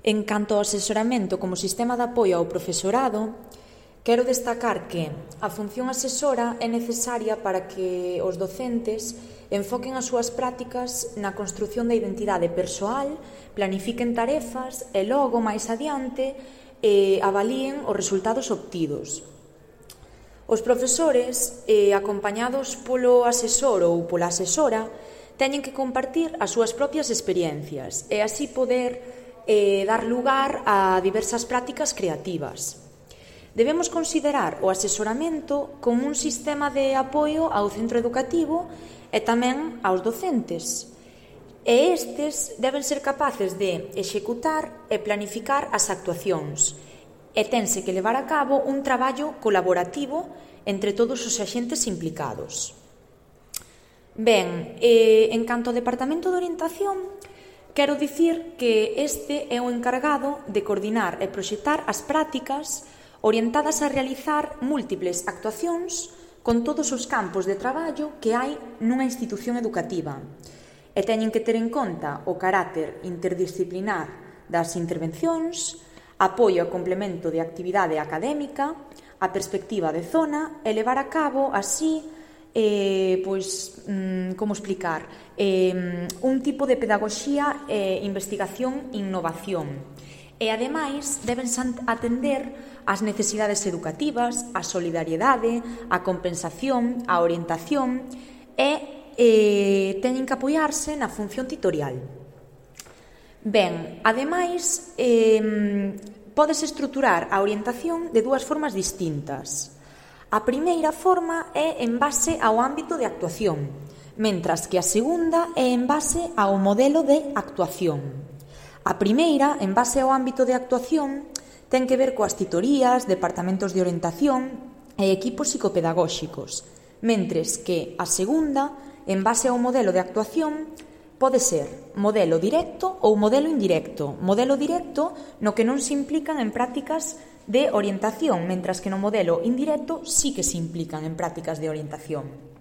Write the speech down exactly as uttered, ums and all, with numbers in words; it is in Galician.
En canto ao asesoramento como sistema de apoio ao profesorado, quero destacar que a función asesora é necesaria para que os docentes enfoquen as súas prácticas na construción da identidade persoal, planifiquen tarefas e logo, máis adiante, eh, avalíen os resultados obtidos. Os profesores, eh, acompañados polo asesor ou pola asesora, teñen que compartir as súas propias experiencias e así poder eh, dar lugar a diversas prácticas creativas. Debemos considerar o asesoramento como un sistema de apoio ao centro educativo e tamén aos docentes. E estes deben ser capaces de executar e planificar as actuacións e tense que levar a cabo un traballo colaborativo entre todos os axentes implicados. Ben, eh, en canto ao Departamento de Orientación, quero dicir que este é o encargado de coordinar e proxectar as prácticas orientadas a realizar múltiples actuacións con todos os campos de traballo que hai nunha institución educativa e teñen que ter en conta o carácter interdisciplinar das intervencións, apoio e complemento de actividade académica, a perspectiva de zona e levar a cabo así Eh, pois, mm, como explicar, eh, un tipo de pedagogía e eh, investigación e innovación. E, ademais, deben atender as necesidades educativas, a solidariedade, a compensación, a orientación e eh, teñen que apoiarse na función titorial. Ben, ademais, eh, podes estruturar a orientación de dúas formas distintas. A primeira forma é en base ao ámbito de actuación, mentras que a segunda é en base ao modelo de actuación. A primeira, en base ao ámbito de actuación, ten que ver coas titorías, departamentos de orientación e equipos psicopedagóxicos, mentres que a segunda, en base ao modelo de actuación, pode ser modelo directo ou modelo indirecto. Modelo directo no que non se implican en prácticas de orientación, mentras que no modelo indirecto sí que se implican en prácticas de orientación.